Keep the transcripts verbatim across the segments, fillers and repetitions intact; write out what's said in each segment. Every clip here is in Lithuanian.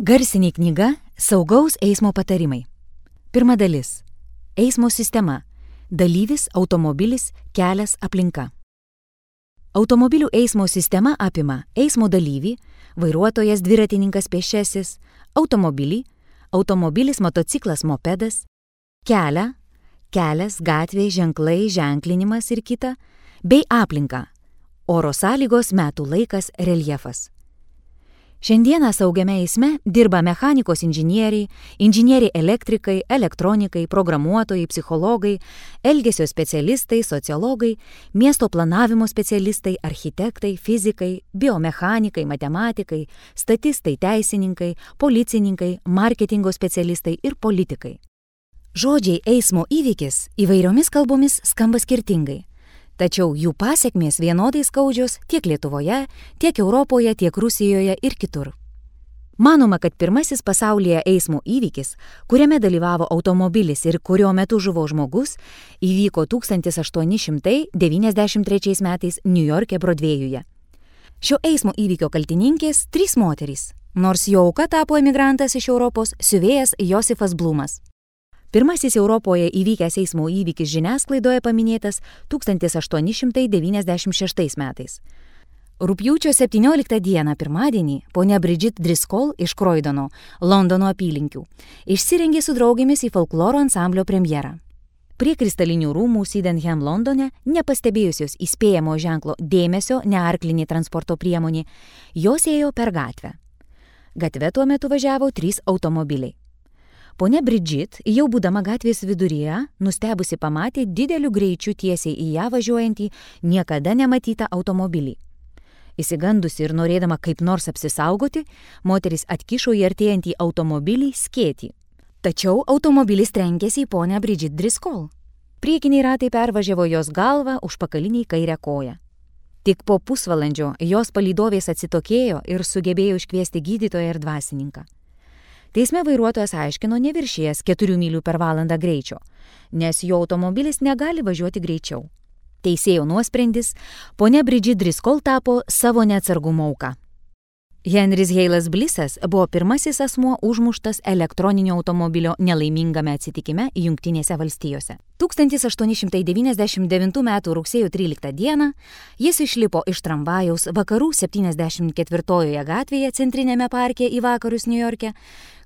Garsinė knyga Saugaus eismo patarimai. Pirma dalis. Eismo sistema. Dalyvis, automobilis, kelias, aplinka. Automobilių eismo sistema apima eismo dalyvį, vairuotojas, dviratininkas, pėsčiasis, automobilį, automobilis, motociklas, mopedas, kelią, kelias, gatvė, ženklai, ženklinimas ir kita, bei aplinką, oro sąlygos, metų laikas, reljefas. Šiandieną saugiame eisme dirba mechanikos inžinieriai, inžinieriai elektrikai, elektronikai, programuotojai, psichologai, elgesio specialistai, sociologai, miesto planavimo specialistai, architektai, fizikai, biomechanikai, matematikai, statistai, teisininkai, policininkai, marketingo specialistai ir politikai. Žodžiai eismo įvykis įvairiomis kalbomis skamba skirtingai. Tačiau jų pasekmės vienodai skaudžios tiek Lietuvoje, tiek Europoje, tiek Rusijoje ir kitur. Manoma, kad pirmasis pasaulyje eismo įvykis, kuriame dalyvavo automobilis ir kurio metu žuvo žmogus, įvyko tūkstantis aštuoni šimtai devyniasdešimt trečiais metais Niujorke Brodvėjuje. Šio eismo įvykio kaltininkės trys moterys, nors jo auka tapo emigrantas iš Europos, siuvėjas Josifas Blumas. Pirmasis Europoje įvykęs eismo įvykis žiniasklaidoje paminėtas tūkstantis aštuoni šimtai devyniasdešimt šeštais metais. Rugpjūčio septynioliktą dieną pirmadienį ponia Bridget Driscoll iš Croydono, Londono apylinkių, išsirengė su draugėmis į folkloro ansamblio premjerą. Prie kristalinių rūmų Sydenham Londone, nepastebėjusios įspėjamo ženklo dėmesio nearklinė transporto priemonė, jos ėjo per gatvę. Gatve tuo metu važiavo trys automobiliai. Ponia Bridget, jau būdama gatvės viduryje, nustebusi pamatė dideliu greičiu tiesiai į ją važiuojantį niekada nematytą automobilį. Įsigandusi ir norėdama kaip nors apsisaugoti, moteris atkišo į artėjantį automobilį skėtį. Tačiau automobilis trenkėsi į ponią Bridget Driscoll. Priekiniai ratai pervažiavo jos galvą, užpakaliniai kairę koją. Tik po pusvalandžio jos palydovės atsitokėjo ir sugebėjo iškviesti gydytoją ir dvasininką. Teisme vairuotojas aiškino neviršėjęs keturių mylių per valandą greičio, nes jo automobilis negali važiuoti greičiau. Teisėjo nuosprendis, ponia Bridget Driscoll tapo savo neatsargumo auka. Henris Heilas Blissas buvo pirmasis asmuo užmuštas elektroninio automobilio nelaimingame atsitikime Jungtinėse valstijose. tūkstantis aštuoni šimtai devyniasdešimt devintų metų rugsėjo tryliktą dieną jis išlipo iš tramvajaus vakarų septyniasdešimt ketvirtojoje gatvėje centrinėme parke į vakarus Niujorke,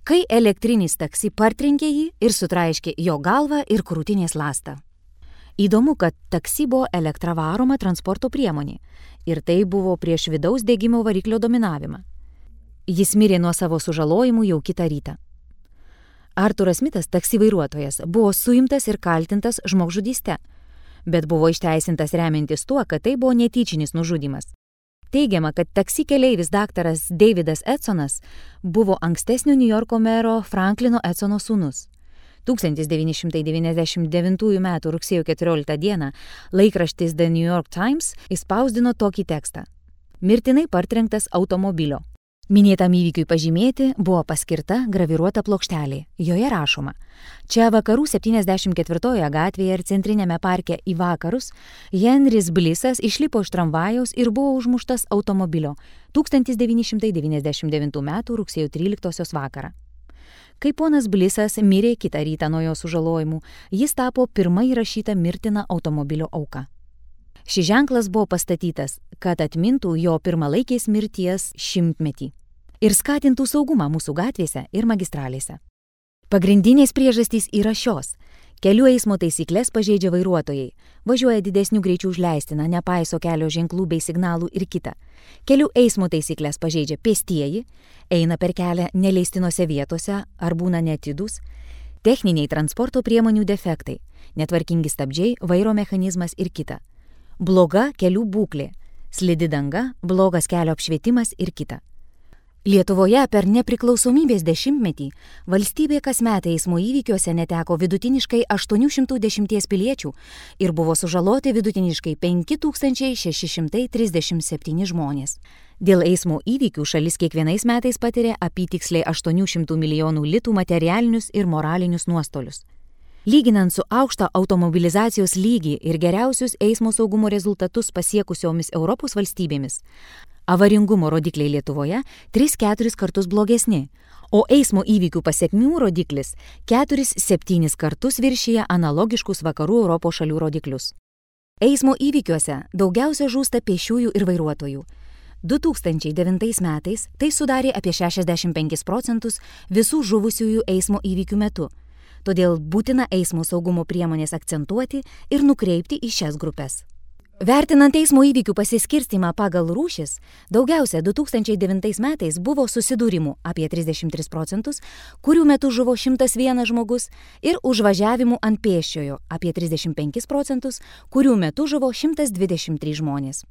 kai elektrinis taksi partrenkė jį ir sutraiškė jo galvą ir krūtinės ląstą. Įdomu, kad taksi buvo elektra varoma transporto priemonė ir tai buvo prieš vidaus degimo variklio dominavimą. Jis mirė nuo savo sužalojimų jau kitą rytą. Arturas Smitas, taksi vairuotojas, buvo suimtas ir kaltintas žmogžudyste, bet buvo išteisintas remiantis tuo, kad tai buvo netyčinis nužudymas. Teigiama, kad taksi keleivis daktaras Davidas Edsonas buvo ankstesnio Niujorko mero Franklino Edsono sūnus. tūkstantis devyni šimtai devyniasdešimt devintųjų metų rugsėjo keturioliktą dieną laikraštis The New York Times išspausdino tokį tekstą. Mirtinai partrenktas automobilio. Minėtam įvykiui pažymėti buvo paskirta graviruota plokštelė. Joje rašoma: čia vakarų septyniasdešimt ketvirtojoje gatvėje ir centrinėme parke į vakarus Henris Blissas išlipo iš tramvajaus ir buvo užmuštas automobilio tūkstantis devyni šimtai devyniasdešimt devintų metų rugsėjo tryliktosios vakarą. Kai ponas Blissas mirė kitą rytą nuo jo sužalojimų, jis tapo pirma įrašyta mirtina automobilio auka. Šis ženklas buvo pastatytas, kad atmintų jo pirmalaikės mirties šimtmetį ir skatintų saugumą mūsų gatvėse ir magistralėse. Pagrindinės priežastys yra šios. Kelių eismo taisyklės pažeidžia vairuotojai, važiuoja didesnių greičių už leistiną, nepaiso kelio ženklų bei signalų ir kita. Kelių eismo taisyklės pažeidžia pėstieji, eina per kelią neleistinose vietose ar būna neatidūs, techniniai transporto priemonių defektai, netvarkingi stabdžiai, vairo mechanizmas ir kita. Bloga kelių būklė, slidi danga, blogas kelio apšvietimas ir kita. Lietuvoje per nepriklausomybės dešimtmetį valstybė kasmet eismo įvykiuose neteko vidutiniškai aštuoni šimtai dešimt piliečių ir buvo sužaloti vidutiniškai penki tūkstančiai šeši šimtai trisdešimt septyni žmonės. Dėl eismo įvykių šalis kiekvienais metais patiria apytiksliai aštuonių šimtų milijonų litų materialinius ir moralinius nuostolius. Lyginant su aukštą automobilizacijos lygį ir geriausius eismo saugumo rezultatus pasiekusiomis Europos valstybėmis, Avaringumo rodikliai Lietuvoje tris keturis kartus blogesni, o eismo įvykių pasekmių rodiklis keturis septynis kartus viršyje analogiškus vakarų Europos šalių rodiklius. Eismo įvykiuose daugiausia žūsta pėsčiųjų ir vairuotojų. du tūkstančiai devintais metais tai sudarė apie šešiasdešimt penkis procentus visų žuvusiųjų eismo įvykių metu. Todėl būtina eismo saugumo priemonės akcentuoti ir nukreipti į šias grupes. Vertinant eismo įvykių pasiskirstimą pagal rūšis, daugiausia du tūkstančiai devintais metais buvo susidūrimų apie trisdešimt tris procentus, kurių metu žuvo šimtas vienas žmogus, ir užvažiavimų ant pėsčiojo apie trisdešimt penkis procentus, kurių metu žuvo šimtas dvidešimt trys žmonės.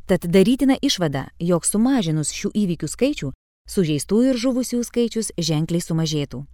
Tad darytina išvada, jog sumažinus šių įvykių skaičių, sužeistųjų ir žuvusių skaičius ženkliai sumažėtų.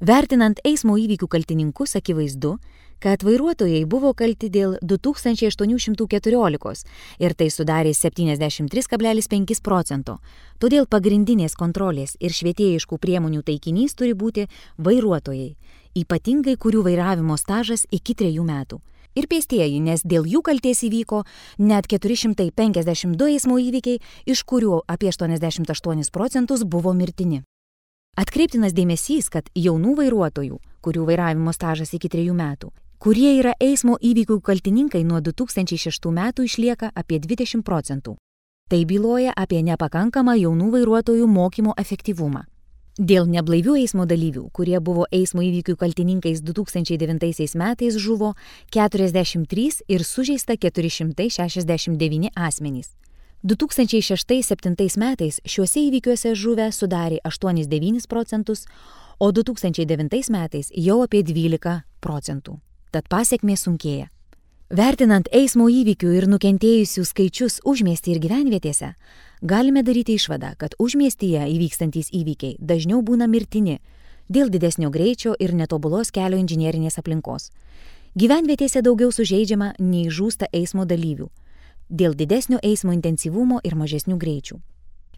Vertinant eismo įvykių kaltininkus, akivaizdu, kad vairuotojai buvo kalti dėl du tūkstančiai aštuoni šimtai keturiolikos ir tai sudarė septyniasdešimt tris kablelis penkis procento. Todėl pagrindinės kontrolės ir švietėjiškų priemonių taikinys turi būti vairuotojai, ypatingai kurių vairavimo stažas iki trejų metų. Ir pėstieji, nes dėl jų kaltės įvyko net keturi šimtai penkiasdešimt du eismo įvykiai, iš kurių apie aštuoniasdešimt aštuonis procentus buvo mirtini. Atkreiptinas dėmesys, kad jaunų vairuotojų, kurių vairavimo stažas iki trejų metų, kurie yra eismo įvykių kaltininkai nuo du tūkstančiai šeštų metų išlieka apie dvidešimt procentų. Tai byloja apie nepakankamą jaunų vairuotojų mokymo efektyvumą. Dėl neblaivių eismo dalyvių, kurie buvo eismo įvykių kaltininkais du tūkstančiai devintaisiais metais, žuvo keturiasdešimt trys ir sužeista keturi šimtai šešiasdešimt devyni asmenys. du tūkstančiai šeštais septintais metais šiuose įvykiuose žuvę sudarė aštuonis devynis procentus, o du tūkstančiai devintais metais jau apie dvylika procentų. Tad pasekmė sunkėja. Vertinant eismo įvykių ir nukentėjusių skaičius užmiestyje ir gyvenvietėse, galime daryti išvadą, kad užmiestyje įvykstantys įvykiai dažniau būna mirtini dėl didesnio greičio ir netobulos kelio inžinierinės aplinkos. Gyvenvietėse daugiau sužeidžiama nei žūsta eismo dalyvių dėl didesnio eismo intensyvumo ir mažesnių greičių.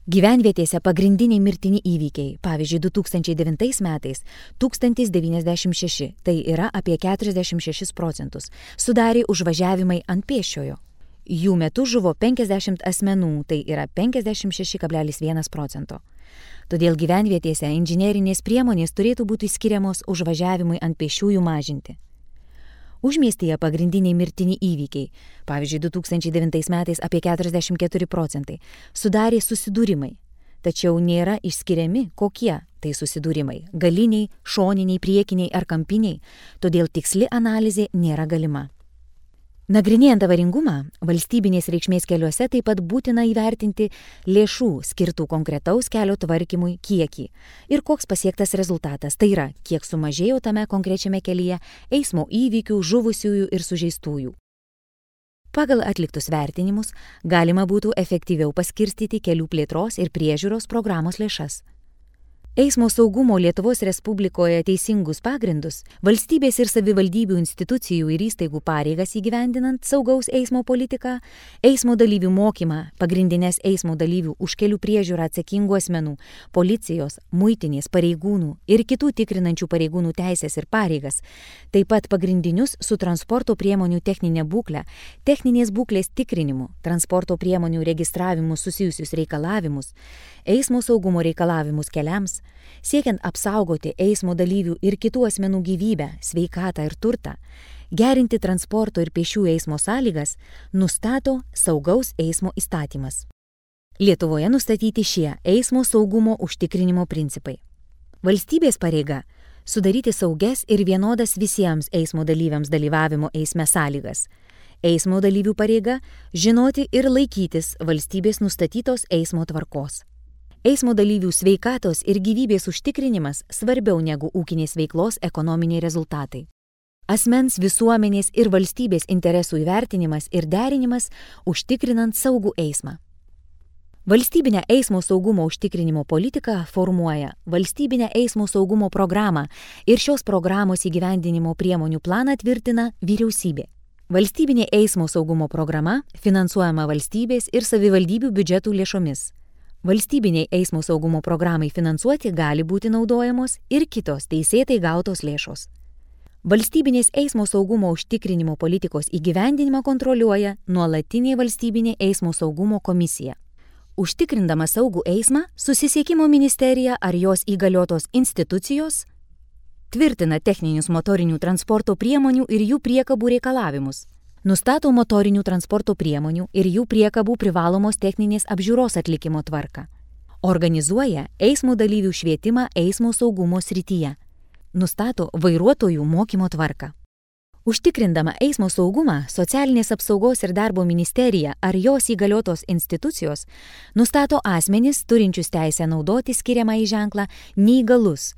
Gyvenvietėse pagrindiniai mirtini įvykiai, pavyzdžiui, du tūkstančiai devintais metais tūkstantis devyniasdešimt šeši, tai yra apie keturiasdešimt šešis procentus, sudarė užvažiavimai ant pėsčiojo. Jų metu žuvo penkiasdešimt asmenų, tai yra penkiasdešimt šeši kablelis vienas procento. Todėl gyvenvietėse inžinerinės priemonės turėtų būti skiriamos užvažiavimui ant pėsčiųjų mažinti. Užmiestyje pagrindiniai mirtini įvykiai, pavyzdžiui, du tūkstančiai devintais metais apie keturiasdešimt keturi procentai, sudarė susidūrimai. Tačiau nėra išskiriami, kokie tai susidūrimai – galiniai, šoniniai, priekiniai ar kampiniai, todėl tiksli analizė nėra galima. Nagrinėjant avaringumą, valstybinės reikšmės keliuose taip pat būtina įvertinti lėšų skirtų konkretaus kelio tvarkymui kiekį ir koks pasiektas rezultatas, tai yra, kiek sumažėjo tame konkrečiame kelyje eismo įvykių, žuvusiųjų ir sužeistųjų. Pagal atliktus vertinimus galima būtų efektyviau paskirstyti kelių plėtros ir priežiūros programos lėšas. Eismo saugumo Lietuvos Respublikoje teisingus pagrindus, valstybės ir savivaldybių institucijų ir įstaigų pareigas įgyvendinant saugaus eismo politiką, eismo dalyvių mokymą, pagrindinės eismo dalyvių už kelių priežiūrą atsakingų asmenų, policijos, muitinės, pareigūnų ir kitų tikrinančių pareigūnų teisės ir pareigas, taip pat pagrindinius su transporto priemonių techninė būklė, techninės būklės tikrinimu, transporto priemonių registravimu susijusius reikalavimus, eismo saugumo reikalavimus keliams, siekiant apsaugoti eismo dalyvių ir kitų asmenų gyvybę, sveikatą ir turtą, gerinti transporto ir pėsčiųjų eismo sąlygas, nustato saugaus eismo įstatymas. Lietuvoje nustatyti šie eismo saugumo užtikrinimo principai. Valstybės pareiga – sudaryti saugias ir vienodas visiems eismo dalyviams dalyvavimo eisme sąlygas. Eismo dalyvių pareiga – žinoti ir laikytis valstybės nustatytos eismo tvarkos. Eismo dalyvių sveikatos ir gyvybės užtikrinimas svarbiau negu ūkinės veiklos ekonominiai rezultatai. Asmens, visuomenės ir valstybės interesų įvertinimas ir derinimas užtikrinant saugų eismą. Valstybinę eismo saugumo užtikrinimo politiką formuoja Valstybinę eismo saugumo programą ir šios programos įgyvendinimo priemonių planą tvirtina vyriausybė. Valstybinė eismo saugumo programa finansuojama valstybės ir savivaldybių biudžetų lėšomis. Valstybiniai eismo saugumo programai finansuoti gali būti naudojamos ir kitos teisėtai gautos lėšos. Valstybinės eismo saugumo užtikrinimo politikos įgyvendinimą kontroliuoja nuolatinė valstybinė eismo saugumo komisija. Užtikrindama saugų eismą, Susisiekimo ministerija ar jos įgaliotos institucijos tvirtina techninius motorinių transporto priemonių ir jų priekabų reikalavimus, nustato motorinių transporto priemonių ir jų priekabų privalomos techninės apžiūros atlikimo tvarką, organizuoja eismo dalyvių švietimą eismo saugumo srityje, nustato vairuotojų mokymo tvarką. Užtikrindama eismo saugumą, Socialinės apsaugos ir darbo ministerija ar jos įgaliotos institucijos nustato asmenis turinčius teisę naudoti skiriamąjį ženklą neįgalus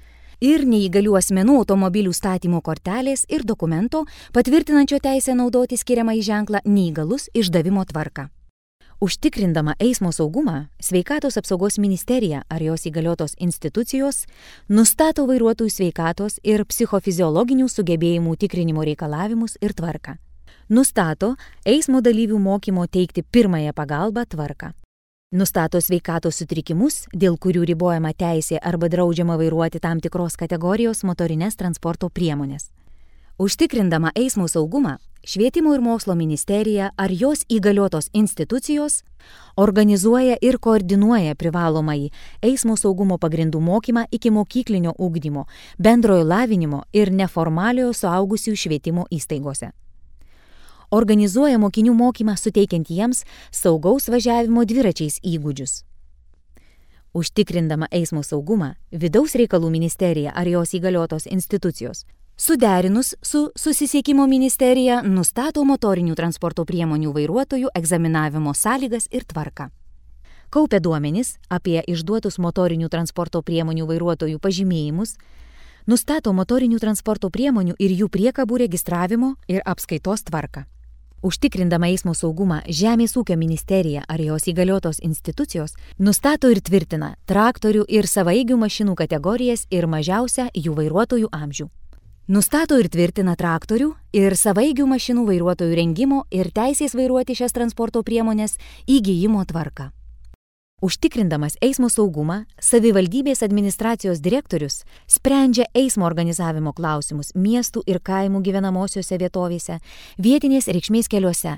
ir neįgalių asmenų automobilių statymo kortelės ir dokumento patvirtinančio teisę naudoti skiriamąjį ženklą neįgalus išdavimo tvarką. Užtikrindama eismo saugumą, Sveikatos apsaugos ministerija ar jos įgaliotos institucijos nustato vairuotojų sveikatos ir psichofiziologinių sugebėjimų tikrinimo reikalavimus ir tvarką. Nustato eismo dalyvių mokymo teikti pirmąją pagalbą tvarką. Nustato sveikatos sutrikimus, dėl kurių ribojama teisė arba draudžiama vairuoti tam tikros kategorijos motorines transporto priemonės. Užtikrindama eismo saugumą, Švietimo ir mokslo ministerija ar jos įgaliotos institucijos organizuoja ir koordinuoja privalomąjį eismo saugumo pagrindų mokymą iki mokyklinio ugdymo, bendrojo lavinimo ir neformaliojo suaugusių švietimo įstaigose. Organizuoja mokinių mokymą suteikiant jiems saugaus važiavimo dviračiais įgūdžius. Užtikrindama eismo saugumą, Vidaus reikalų ministerija ar jos įgaliotos institucijos suderinus su Susisiekimo ministerija nustato motorinių transporto priemonių vairuotojų egzaminavimo sąlygas ir tvarką. Kaupia duomenis apie išduotus motorinių transporto priemonių vairuotojų pažymėjimus, nustato motorinių transporto priemonių ir jų priekabų registravimo ir apskaitos tvarką. Užtikrindama eismo saugumą, Žemės ūkio ministerija ar jos įgaliotos institucijos nustato ir tvirtina traktorių ir savaigių mašinų kategorijas ir mažiausią jų vairuotojų amžių. Nustato ir tvirtina traktorių ir savaigių mašinų vairuotojų rengimo ir teisės vairuoti šias transporto priemonės įgijimo tvarką. Užtikrindamas eismo saugumą, savivaldybės administracijos direktorius sprendžia eismo organizavimo klausimus miestų ir kaimų gyvenamosiose vietovėse, vietinės reikšmės keliuose.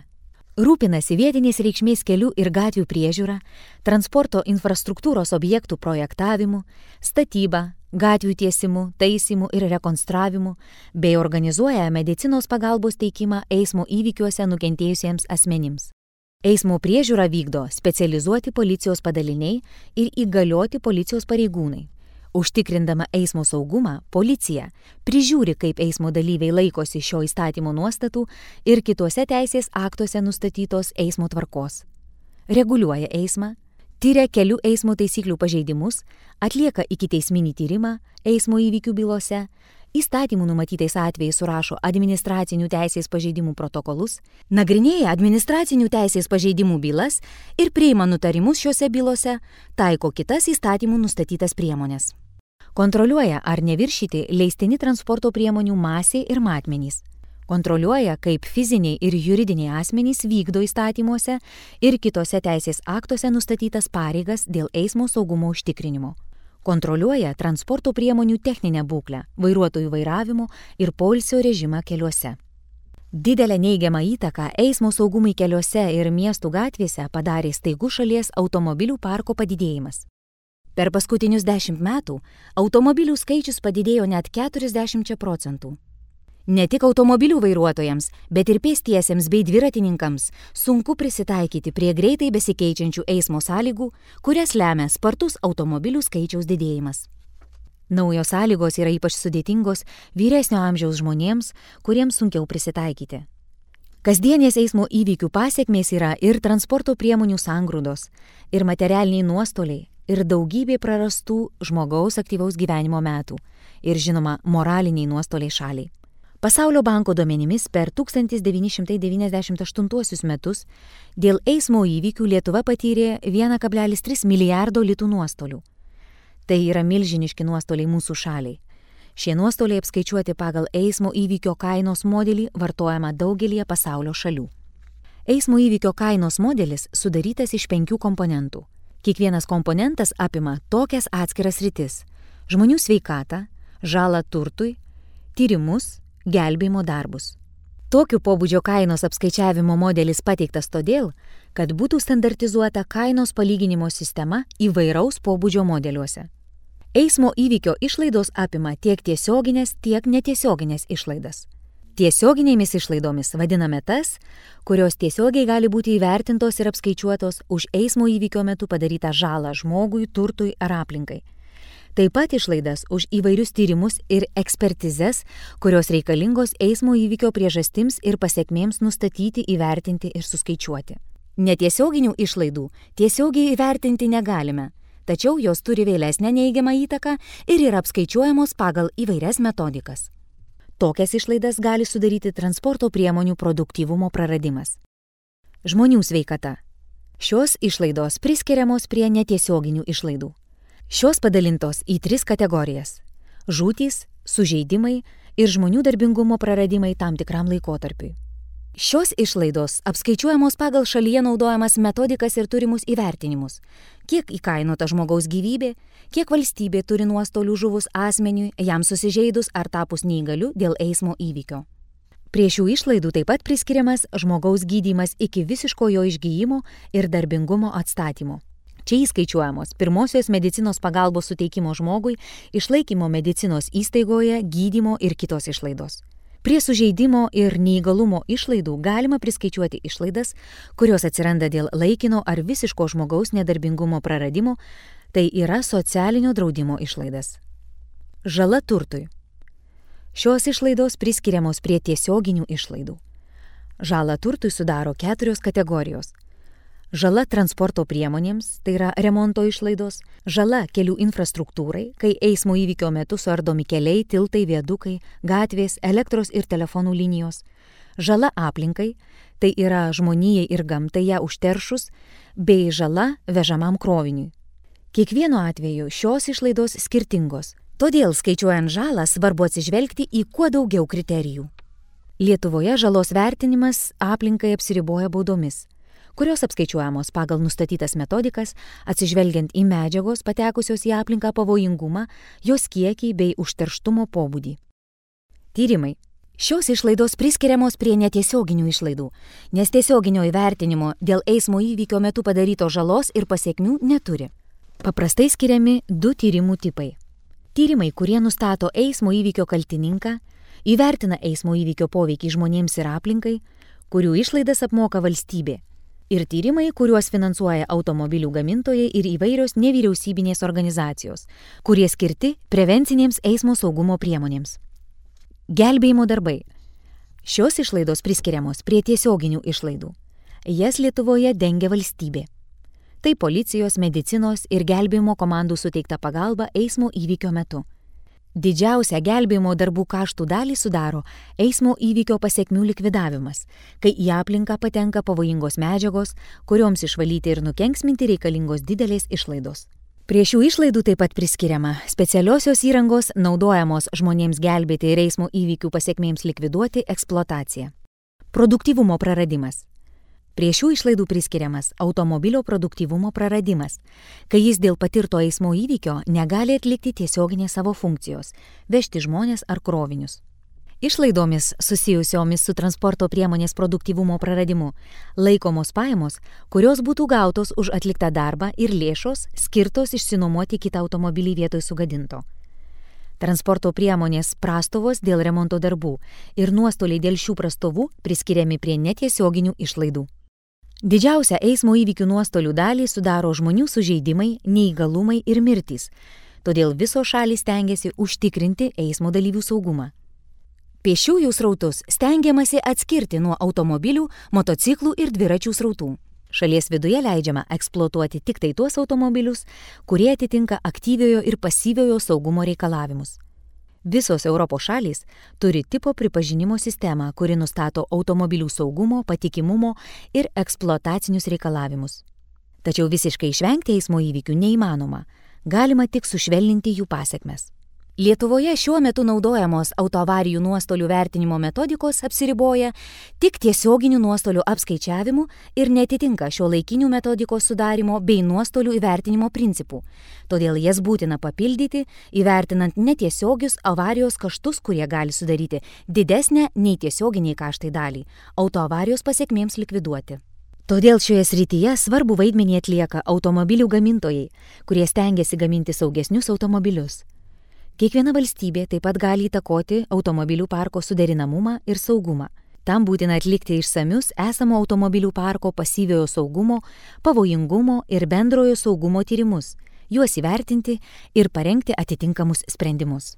Rūpinasi vietinės reikšmės kelių ir gatvių priežiūra, transporto infrastruktūros objektų projektavimu, statyba, gatvių tiesimu, taisymu ir rekonstravimu, bei organizuoja medicinos pagalbos teikimą eismo įvykiuose nukentėjusiems asmenims. Eismo priežiūrą vykdo specializuoti policijos padaliniai ir įgalioti policijos pareigūnai. Užtikrindama eismo saugumą, policija prižiūri, kaip eismo dalyviai laikosi šio įstatymo nuostatų ir kituose teisės aktuose nustatytos eismo tvarkos. Reguliuoja eismą, tyria kelių eismo taisyklių pažeidimus, atlieka ikiteisminį tyrimą eismo įvykių bylose, įstatymų numatytais atvejais surašo administracinių teisės pažeidimų protokolus, nagrinėja administracinių teisės pažeidimų bylas ir priima nutarimus šiuose bylose, taiko kitas įstatymų nustatytas priemonės. Kontroliuoja, ar neviršyti leistini transporto priemonių masė ir matmenys. Kontroliuoja, kaip fiziniai ir juridiniai asmenys vykdo įstatymuose ir kitose teisės aktuose nustatytas pareigas dėl eismo saugumo užtikrinimo. Kontroliuoja transporto priemonių techninę būklę, vairuotojų vairavimo ir poilsio režimą keliuose. Didelę neigiamą įtaką eismo saugumui keliuose ir miestų gatvėse padarė staigus šalies automobilių parko padidėjimas. Per paskutinius dešimt metų automobilių skaičius padidėjo net keturiasdešimt procentų. Ne tik automobilių vairuotojams, bet ir pėstiesiems bei dviratininkams sunku prisitaikyti prie greitai besikeičiančių eismo sąlygų, kurias lemia spartus automobilių skaičiaus didėjimas. Naujos sąlygos yra ypač sudėtingos vyresnio amžiaus žmonėms, kuriems sunkiau prisitaikyti. Kasdienės eismo įvykių pasekmės yra ir transporto priemonių sangrūdos, ir materialiniai nuostoliai, ir daugybė prarastų žmogaus aktyvaus gyvenimo metų, ir žinoma, moraliniai nuostoliai šaliai. Pasaulio banko duomenimis per tūkstantis devyni šimtai devyniasdešimt aštuntuosius metus dėl eismo įvykių Lietuva patyrė vienas kablelis tris milijardo litų nuostolių. Tai yra milžiniški nuostoliai mūsų šaliai. Šie nuostoliai apskaičiuoti pagal eismo įvykio kainos modelį vartojama daugelį pasaulio šalių. Eismo įvykio kainos modelis sudarytas iš penkių komponentų. Kiekvienas komponentas apima tokias atskiras sritis: žmonių sveikatą, žalą turtui, tyrimus, gelbėjimo darbus. Tokiu pobūdžio kainos apskaičiavimo modelis pateiktas todėl, kad būtų standartizuota kainos palyginimo sistema įvairaus pobūdžio modeliuose. Eismo įvykio išlaidos apima tiek tiesioginės, tiek netiesioginės išlaidas. Tiesioginėmis išlaidomis vadiname tas, kurios tiesiogiai gali būti įvertintos ir apskaičiuotos už eismo įvykio metu padarytą žalą žmogui, turtui ar aplinkai. Taip pat išlaidas už įvairius tyrimus ir ekspertizes, kurios reikalingos eismo įvykio priežastims ir pasekmėms nustatyti, įvertinti ir suskaičiuoti. Netiesioginių išlaidų tiesiogiai įvertinti negalime, tačiau jos turi vėlesnę neigiamą įtaką ir yra apskaičiuojamos pagal įvairias metodikas. Tokias išlaidas gali sudaryti transporto priemonių produktyvumo praradimas. Žmonių sveikata. Šios išlaidos priskiriamos prie netiesioginių išlaidų. Šios padalintos į tris kategorijas – žūtys, sužeidimai ir žmonių darbingumo praradimai tam tikram laikotarpiui. Šios išlaidos apskaičiuojamos pagal šalyje naudojamas metodikas ir turimus įvertinimus, kiek įkainota žmogaus gyvybė, kiek valstybė turi nuostolių žuvus asmeniui, jam susižeidus ar tapus neįgaliu dėl eismo įvykio. Prie šių išlaidų taip pat priskiriamas žmogaus gydymas iki visiško jo išgyjimo ir darbingumo atstatymo. Čia įskaičiuojamos pirmosios medicinos pagalbos suteikimo žmogui, išlaikymo medicinos įstaigoje, gydymo ir kitos išlaidos. Prie sužeidimo ir neįgalumo išlaidų galima priskaičiuoti išlaidas, kurios atsiranda dėl laikino ar visiško žmogaus nedarbingumo praradimo, tai yra socialinio draudimo išlaidas. Žala turtui. Šios išlaidos priskiriamos prie tiesioginių išlaidų. Žalą turtui sudaro keturios kategorijos. Žala transporto priemonėms, tai yra remonto išlaidos, žala kelių infrastruktūrai, kai eismo įvykio metu suardomi keliai, tiltai, viadukai, gatvės, elektros ir telefonų linijos, žala aplinkai, tai yra žmonijai ir gamtai ją užteršus, bei žala vežamam kroviniui. Kiekvienu atveju šios išlaidos skirtingos, todėl skaičiuojant žalą svarbu atsižvelgti į kuo daugiau kriterijų. Lietuvoje žalos vertinimas aplinkai apsiriboja baudomis, kurios apskaičiuojamos pagal nustatytas metodikas, atsižvelgiant į medžiagos patekusios į aplinką pavojingumą, jos kiekį bei užterštumo pobūdį. Tyrimai. Šios išlaidos priskiriamos prie netiesioginių išlaidų, nes tiesioginio įvertinimo dėl eismo įvykio metu padarytos žalos ir pasekmių neturi. Paprastai skiriami du tyrimų tipai. Tyrimai, kurie nustato eismo įvykio kaltininką, įvertina eismo įvykio poveikį žmonėms ir aplinkai, kurių išlaidas apmoka valstybė. Ir tyrimai, kuriuos finansuoja automobilių gamintojai ir įvairios nevyriausybinės organizacijos, kurie skirti prevencinėms eismo saugumo priemonėms. Gelbėjimo darbai. Šios išlaidos priskiriamos prie tiesioginių išlaidų. Jas Lietuvoje dengia valstybė. Tai policijos, medicinos ir gelbėjimo komandų suteikta pagalba eismo įvykio metu. Didžiausią gelbėjimo darbų kaštų dalį sudaro eismo įvykio pasekmių likvidavimas, kai į aplinką patenka pavojingos medžiagos, kurioms išvalyti ir nukenksminti reikalingos didelės išlaidos. Prie šių išlaidų taip pat priskiriama specialiosios įrangos naudojamos žmonėms gelbėti ir eismo įvykių pasekmėms likviduoti eksploatacija. Produktyvumo praradimas. Prie šių išlaidų priskiriamas automobilio produktyvumo praradimas, kai jis dėl patirto eismo įvykio negali atlikti tiesioginės savo funkcijos – vežti žmones ar krovinius. Išlaidomis susijusiomis su transporto priemonės produktyvumo praradimu laikomos pajamos, kurios būtų gautos už atliktą darbą ir lėšos skirtos išsinuomoti kitą automobilį vietoj sugadinto. Transporto priemonės prastovos dėl remonto darbų ir nuostoliai dėl šių prastovų priskiriami prie netiesioginių išlaidų. Didžiausią eismo įvykių nuostolių dalį sudaro žmonių sužeidimai, neįgalumai ir mirtys, todėl visos šalys stengiasi užtikrinti eismo dalyvių saugumą. Pėsčiųjų srautus stengiamasi atskirti nuo automobilių, motociklų ir dviračių srautų. Šalies viduje leidžiama eksploatuoti tik tai tuos automobilius, kurie atitinka aktyviojo ir pasyviojo saugumo reikalavimus. Visos Europos šalys turi tipo pripažinimo sistemą, kuri nustato automobilių saugumo, patikimumo ir eksploatacinius reikalavimus. Tačiau visiškai išvengti eismo įvykių neįmanoma, galima tik sušvelninti jų pasekmes. Lietuvoje šiuo metu naudojamos autoavarijų nuostolių vertinimo metodikos apsiriboja tik tiesioginių nuostolių apskaičiavimu ir netitinka šiuolaikinių metodikos sudarimo bei nuostolių įvertinimo principų. Todėl jas būtina papildyti, įvertinant netiesiogius avarijos kaštus, kurie gali sudaryti didesnę nei tiesioginiai kaštai dalį autoavarijos pasekmėms likviduoti. Todėl šioje srityje svarbu vaidmenį atlieka automobilių gamintojai, kurie stengiasi gaminti saugesnius automobilius. Kiekviena valstybė taip pat gali įtakoti automobilių parko suderinamumą ir saugumą. Tam būtina atlikti išsamius esamo automobilių parko pasyviojo saugumo, pavojingumo ir bendrojo saugumo tyrimus, juos įvertinti ir parengti atitinkamus sprendimus.